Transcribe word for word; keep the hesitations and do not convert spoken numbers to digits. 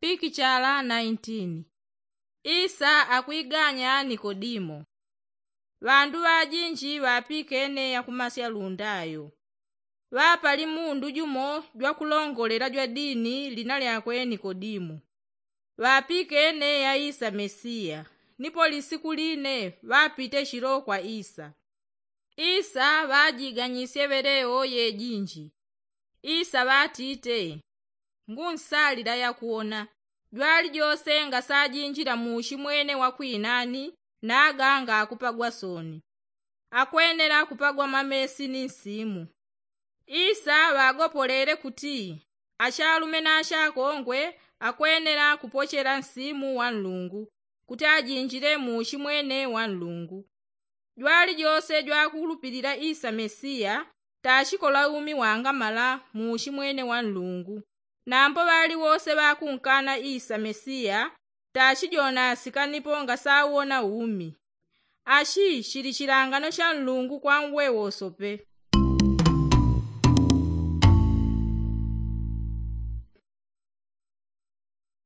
Pikichala nineteen. Isa akwiganya nikodimo. Ŵandu ŵajinji ŵapikene yakumasya lundayo. Ŵapali mundu jumo jwakulongolela jwa dini lina lyakwe nikodimo. Ŵapikene ya isa mesiya. Nipo lisiku line ŵapite shilo kwa isa. Isa ŵajiganyisye ŵeleo yejinji. Isa ŵatite, ngunsalila yakuwona. Jwalijose ngasajinjila muushimwene wakwinani, naga ngakupagwa soni. Akwenela kupagwa mamesi ni nsimu. Isa ŵagopolele kuti ashalume na ashakongwe akwenela kupochela nsimu wa nlungu, kuti ajinjile muushimwene wa nlungu. Jwalijose jwakulupilila isa mesiya, tashikola umi wangamala muushimwene wa nlungu. Nambo ŵaliwose ŵakunkana isa mesiya, tashijonasika nipo ngasauwona umi. Ashi shili shilangano sha nlungu kwa nwewosope.